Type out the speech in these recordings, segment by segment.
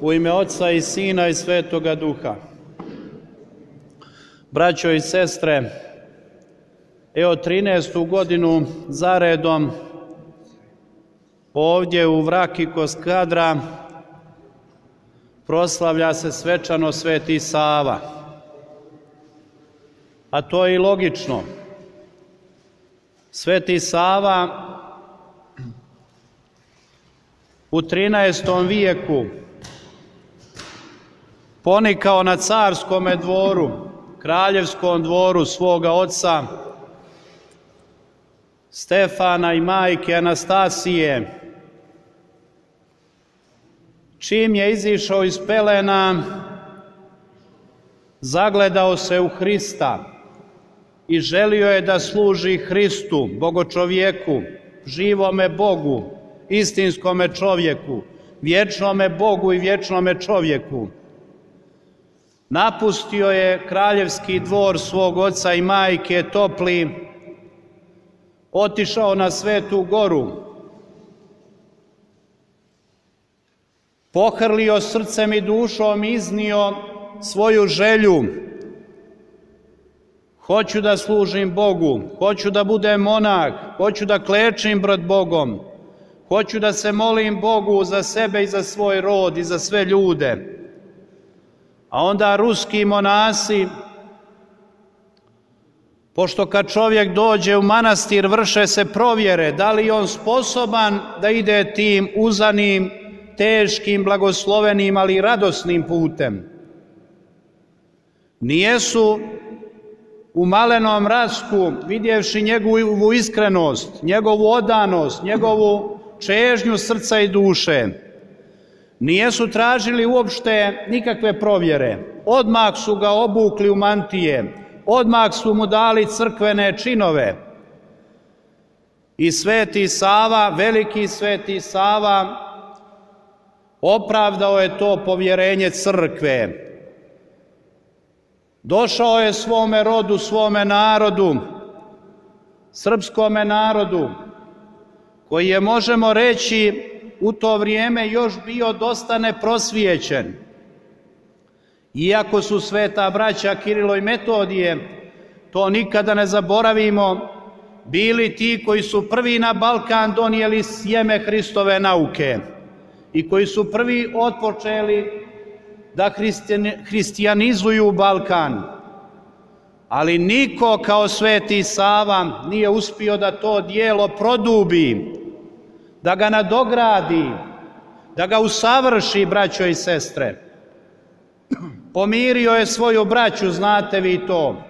U ime Oca i Sina i Svetoga Duha. Braćo i sestre, evo 13. godinu zaredom ovdje u Vraki kod Skadra proslavlja se svečano Sveti Sava. A to je i logično. Sveti Sava u 13. vijeku ponikao na carskome dvoru, kraljevskom dvoru svoga oca Stefana i majke Anastasije. Čim je izišao iz pelena, zagledao se u Hrista i želio je da služi Hristu, bogočovjeku, živome Bogu, istinskome čovjeku, vječnome Bogu i vječnome čovjeku. Napustio je kraljevski dvor svog oca i majke topli, otišao na Svetu Goru, pohrlio srcem i dušom, iznio svoju želju. Hoću da služim Bogu, hoću da budem monah, hoću da klečim pred Bogom, hoću da se molim Bogu za sebe i za svoj rod i za sve ljude. A onda ruski monasi, pošto kad čovjek dođe u manastir vrše se provjere da li je on sposoban da ide tim uzanim, teškim, blagoslovenim, ali radosnim putem. Nijesu u malenom Rasku, vidjevši njegovu iskrenost, njegovu odanost, njegovu čežnju srca i duše, nijesu tražili uopšte nikakve provjere. Odmah su ga obukli u mantije, odmah su mu dali crkvene činove. I Sveti Sava, veliki Sveti Sava, opravdao je to povjerenje crkve. Došao je svome rodu, svome narodu, srpskome narodu, koji je, možemo reći, u to vrijeme još bio dosta neprosvijećen. Iako su sveta braća Kirilo i Metodije, to nikada ne zaboravimo, bili ti koji su prvi na Balkan donijeli sjeme Hristove nauke i koji su prvi otpočeli da hristijanizuju Balkan. Ali niko kao Sveti Sava nije uspio da to djelo produbi, da ga nadogradi, da ga usavrši, braćo i sestre. Pomirio je svoju braću, znate vi to.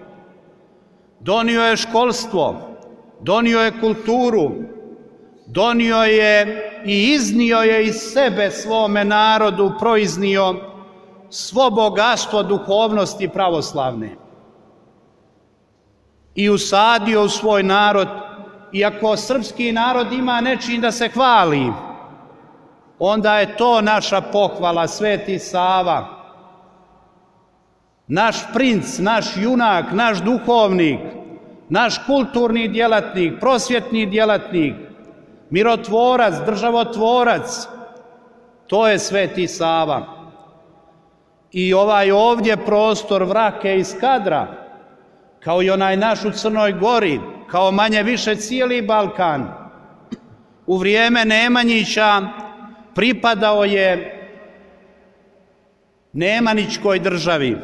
Donio je školstvo, donio je kulturu, donio je i iznio je iz sebe svome narodu, proiznio svo bogatstvo duhovnosti pravoslavne. I usadio u svoj narod. Iako srpski narod ima nečim da se hvali, onda je to naša pohvala, Sveti Sava. Naš princ, naš junak, naš duhovnik, naš kulturni djelatnik, prosvjetni djelatnik, mirotvorac, državotvorac, to je Sveti Sava. I ovaj ovdje prostor Vrake i Skadra, kao i onaj naš u Crnoj Gori, kao manje više cijeli Balkan, u vrijeme Nemanjića pripadao je Nemanjićkoj državi.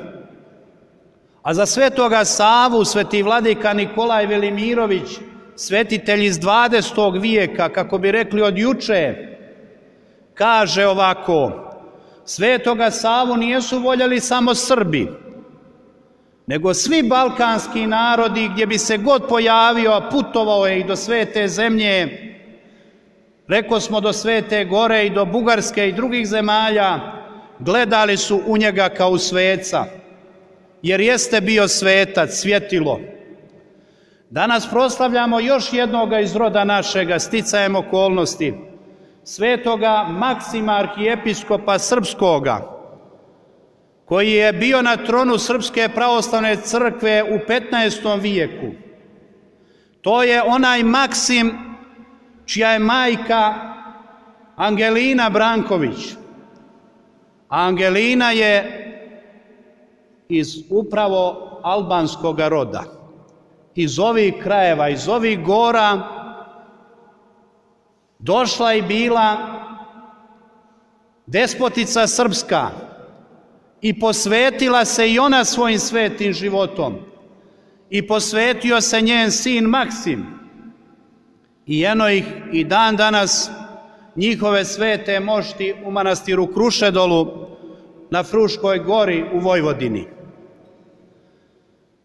A za Svetoga Savu, sveti vladika Nikolaj Velimirović, svetitelj iz 20. vijeka, kako bi rekli od juče, kaže ovako: Svetoga Savu nijesu voljeli samo Srbi, nego svi balkanski narodi, gdje bi se god pojavio, a putovao je i do Svete zemlje, reko smo do Svete Gore i do Bugarske i drugih zemalja, gledali su u njega kao u sveca, jer jeste bio svetac, svjetilo. Danas proslavljamo još jednoga iz roda našega, sticajem okolnosti, svetoga Maksima, arhijepiskopa srpskoga, koji je bio na tronu Srpske pravoslavne crkve u 15. vijeku. To je onaj Maksim čija je majka Angelina Branković. Angelina je iz upravo albanskog roda, iz ovih krajeva, iz ovih gora, došla i bila despotica srpska i posvetila se i ona svojim svetim životom i posvetio se njen sin Maksim i eno ih i dan danas njihove svete mošti u manastiru Krušedolu na Fruškoj gori u Vojvodini.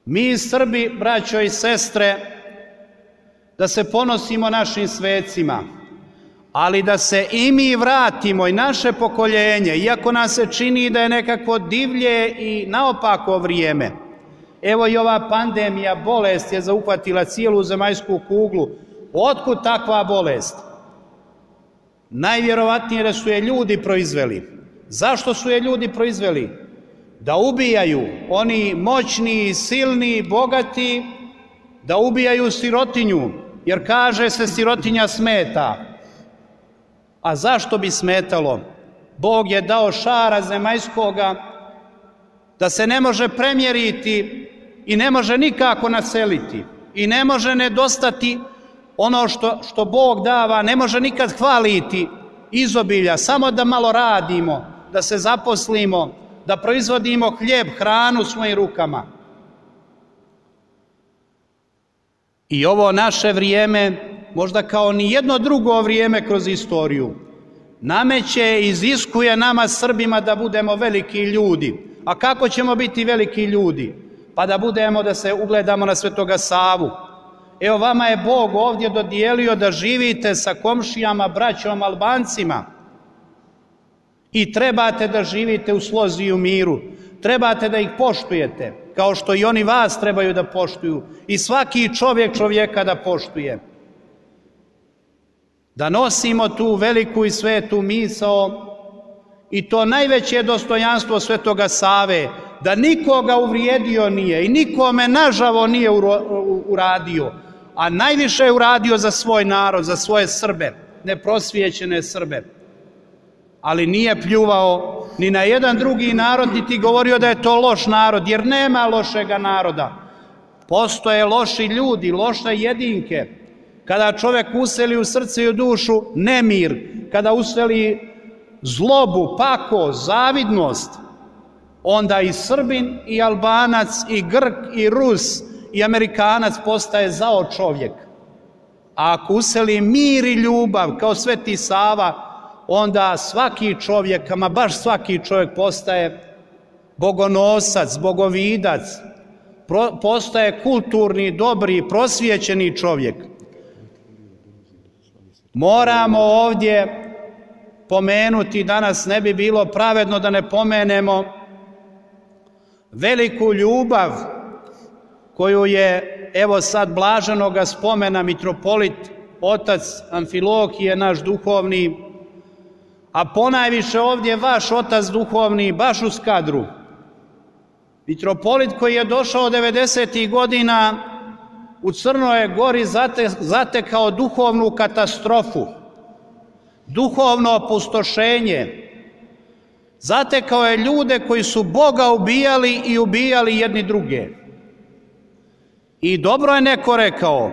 Mi Srbi, braćo i sestre, da se ponosimo našim svecima, ali da se i mi vratimo i naše pokoljenje, iako nam se čini da je nekako divlje i naopako vrijeme. Evo i ova pandemija, bolest je zauhvatila cijelu zemaljsku kuglu. Otkud takva bolest? Najvjerovatnije da su je ljudi proizveli. Zašto su je ljudi proizveli? Da ubijaju oni moćni, silni, bogati, da ubijaju sirotinju, jer kaže se sirotinja smeta. A zašto bi smetalo? Bog je dao šara zemaljskoga da se ne može premjeriti i ne može nikako naseliti i ne može nedostati ono što Bog dava, ne može nikad hvaliti izobilja, samo da malo radimo, da se zaposlimo, da proizvodimo hljeb, hranu svojim rukama. I ovo naše vrijeme, možda kao ni jedno drugo vrijeme kroz istoriju, nameće, iziskuje nama Srbima da budemo veliki ljudi. A kako ćemo biti veliki ljudi? Pa da se ugledamo na Svetoga Savu. Evo vama je Bog ovdje dodijelio da živite sa komšijama, braćom, Albancima i trebate da živite u slozi i u miru. Trebate da ih poštujete, kao što i oni vas trebaju da poštuju i svaki čovjek čovjeka da poštuje. Da nosimo tu veliku i svetu misao i to najveće dostojanstvo Svetoga Save, da nikoga uvrijedio nije i nikome nažavo nije uradio, a najviše je uradio za svoj narod, za svoje Srbe, neprosvijećene Srbe. Ali nije pljuvao ni na jedan drugi narod, niti govorio da je to loš narod, jer nema lošega naroda. Postoje loši ljudi, loše jedinke. Kada čovjek useli u srce i u dušu nemir, kada useli zlobu, pakost, zavidnost, onda i Srbin, i Albanac, i Grk, i Rus, i Amerikanac postaje zao čovjek. A ako useli mir i ljubav, kao Sveti Sava, onda svaki čovjek, ama baš svaki čovjek postaje bogonosac, bogovidac, postaje kulturni, dobri, prosvijećeni čovjek. Moramo ovdje pomenuti, danas ne bi bilo pravedno da ne pomenemo veliku ljubav koju je, evo sad blaženoga spomena, mitropolit, otac Amfilohije, naš duhovni, a ponajviše ovdje vaš otac duhovni, baš u Skadru. Mitropolit koji je došao 90. godina u Crnoj Gori zatekao duhovnu katastrofu, duhovno opustošenje. Zatekao je ljude koji su Boga ubijali i ubijali jedni druge. I dobro je neko rekao,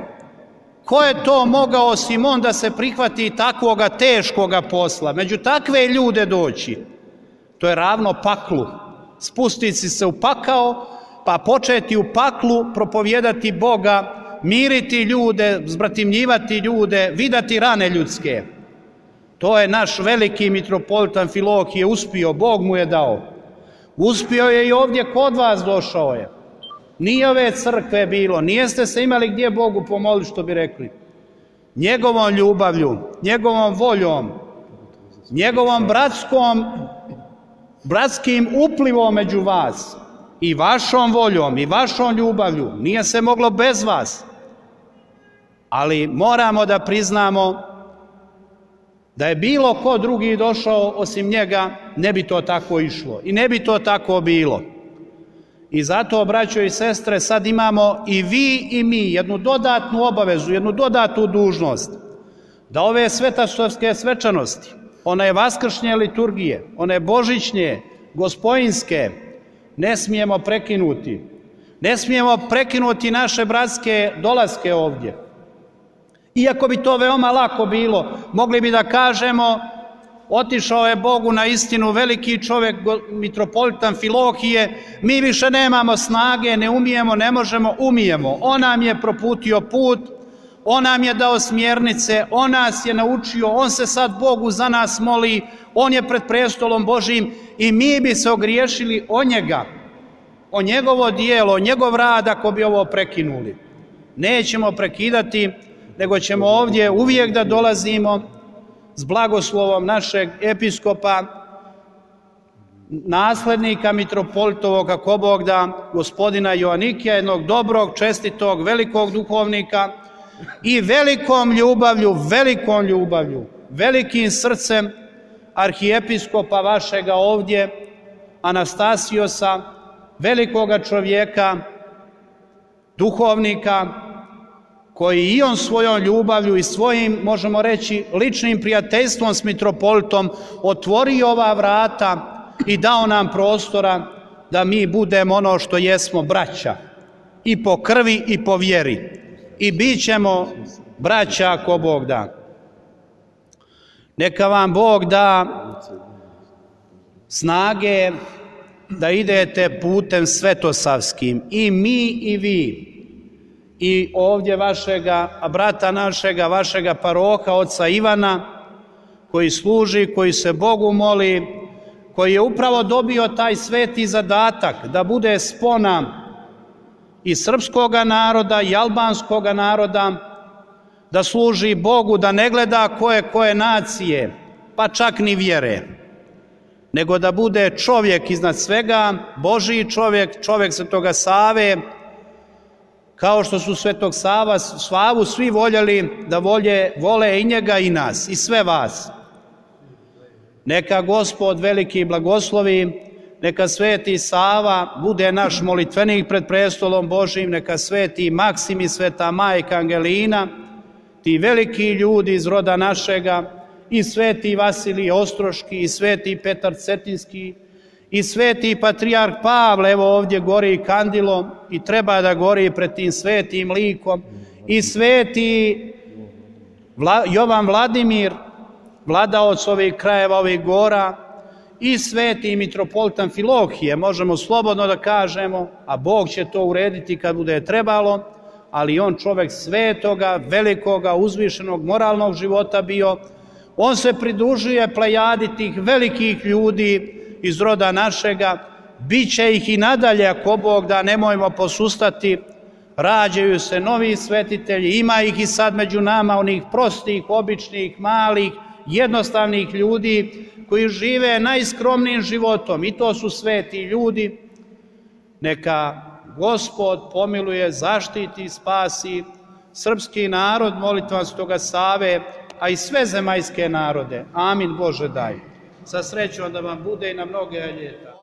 ko je to mogao osim on da se prihvati takvoga teškoga posla, među takve ljude doći? To je ravno paklu. Spustiti se u pakao, pa početi u paklu propovjedati Boga, miriti ljude, zbratimljivati ljude, vidati rane ljudske. To je naš veliki mitropolit Amfilohije uspio, Bog mu je dao. Uspio je i ovdje kod vas, došao je. Nije ove crkve bilo, nijeste se imali gdje Bogu pomoliti, što bi rekli. Njegovom ljubavlju, njegovom voljom, njegovom bratskim uplivom među vas i vašom voljom i vašom ljubavlju, nije se moglo bez vas. Ali moramo da priznamo da je bilo ko drugi došao osim njega, ne bi to tako išlo i ne bi to tako bilo. I zato, braćo i sestre, sad imamo i vi i mi jednu dodatnu obavezu, jednu dodatnu dužnost, da ove svetastovske svečanosti, one vaskršnje liturgije, one božićnje, gospojinske, ne smijemo prekinuti. Ne smijemo prekinuti naše bratske dolaske ovdje. Iako bi to veoma lako bilo, mogli bi da kažemo, otišao je Bogu na istinu veliki čovjek, mitropolita Amfilohije, mi više nemamo snage, ne umijemo, ne možemo, umijemo. On nam je proputio put, on nam je dao smjernice, on nas je naučio, on se sad Bogu za nas moli, on je pred prestolom Božijim i mi bi se ogriješili o njega, o njegovo dijelo, o njegov rad ako bi ovo prekinuli. Nećemo prekidati, nego ćemo ovdje uvijek da dolazimo s blagoslovom našeg episkopa, naslednika mitropolitovog, kako Bog da, gospodina Joanikija, jednog dobrog, čestitog, velikog duhovnika i velikom ljubavlju, velikim srcem arhijepiskopa vašega ovdje, Anastasiosa, velikoga čovjeka, duhovnika, koji i on svojom ljubavlju i svojim, možemo reći, ličnim prijateljstvom s mitropolitom otvorio ova vrata i dao nam prostora da mi budemo ono što jesmo, braća, i po krvi i po vjeri. I bit ćemo braća ako Bog da. Neka vam Bog da snage da idete putem svetosavskim, i mi i vi, i ovdje vašega brata našega, vašega paroha, oca Ivana, koji služi, koji se Bogu moli, koji je upravo dobio taj sveti zadatak da bude spona i srpskoga naroda i albanskoga naroda, da služi Bogu, da ne gleda koje nacije, pa čak ni vjere, nego da bude čovjek iznad svega, Božiji čovjek, čovjek Svetoga Save, kao što su Svetog Savu svi voljeli da vole i njega i nas, i sve vas. Neka Gospod veliki blagoslovi, neka Sveti Sava bude naš molitvenik pred prestolom Božijim, neka Sveti Maksim i Sveta Majka Angelina, ti veliki ljudi iz roda našega, i Sveti Vasilij Ostroški, i Sveti Petar Cetinski, i Sveti Patrijarh Pavle, evo ovdje gori kandilo i treba da gori pred tim svetim likom, i Sveti Jovan Vladimir, vladaoc ovih krajeva, ovih gora, i Sveti mitropolit Amfilohije, možemo slobodno da kažemo, a Bog će to urediti kad bude trebalo, ali on čovjek svetoga, velikoga, uzvišenog, moralnog života bio, on se pridružuje plejadi tih velikih ljudi iz roda našega, bit će ih i nadalje ako Bog da, nemojmo posustati, rađaju se novi svetitelji, ima ih i sad među nama, onih prostih, običnih, malih, jednostavnih ljudi koji žive najskromnijim životom, i to su sveti ljudi. Neka Gospod pomiluje, zaštiti, spasi srpski narod, molitvom Svetoga Save, a i sve zemaljske narode. Amin, Bože daj. Sa srećom da vam bude i na mnoge ljeta.